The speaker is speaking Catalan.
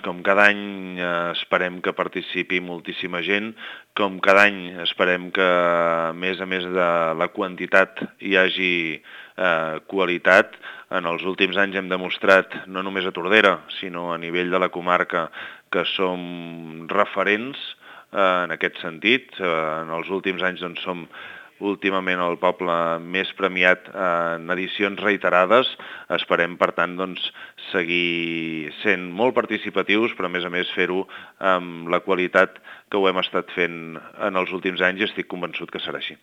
com cada any esperem que participi moltíssima gent, com cada any esperem que a més de la quantitat hi hagi qualitat. En els últims anys hem demostrat, no només a Tordera, sinó a nivell de la comarca, que som referents en aquest sentit. En els últims anys doncs, som últimament el poble més premiat en edicions reiterades. Esperem, per tant, doncs, seguir sent molt participatius, però a més fer-ho amb la qualitat que ho hem estat fent en els últims anys i estic convençut que serà així.